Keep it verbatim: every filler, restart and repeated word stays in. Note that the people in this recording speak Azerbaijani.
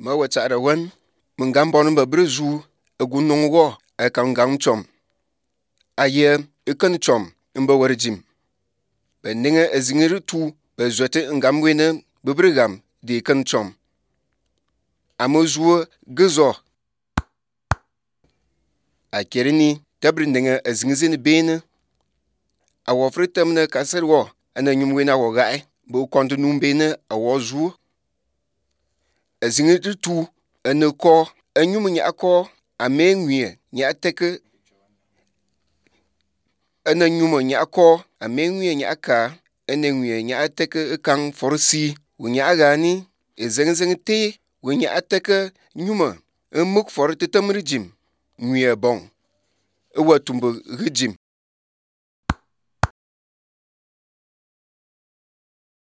Ma wetsa'da wen mun gam bon ba brezu egu nung wo akam gang chom aye eken chom mba werjim be ninge ezingere tu be zwete ngam wene bebrigam de ken chom amozuo gezo akereni tabri ninge ezingzini bene awofre temne kaserwo ana nyum wena wo gai bo kontu numbene awozu ezingere tu ene ko enyum nya ko amenwie nya teke ene nyum nya ko amenwie nya ka ene nwie nya teke kan forsi wunya gani ezengzeng te wunya teke nyuma emuk for tetemri jim nwie bon ewatumbo rijim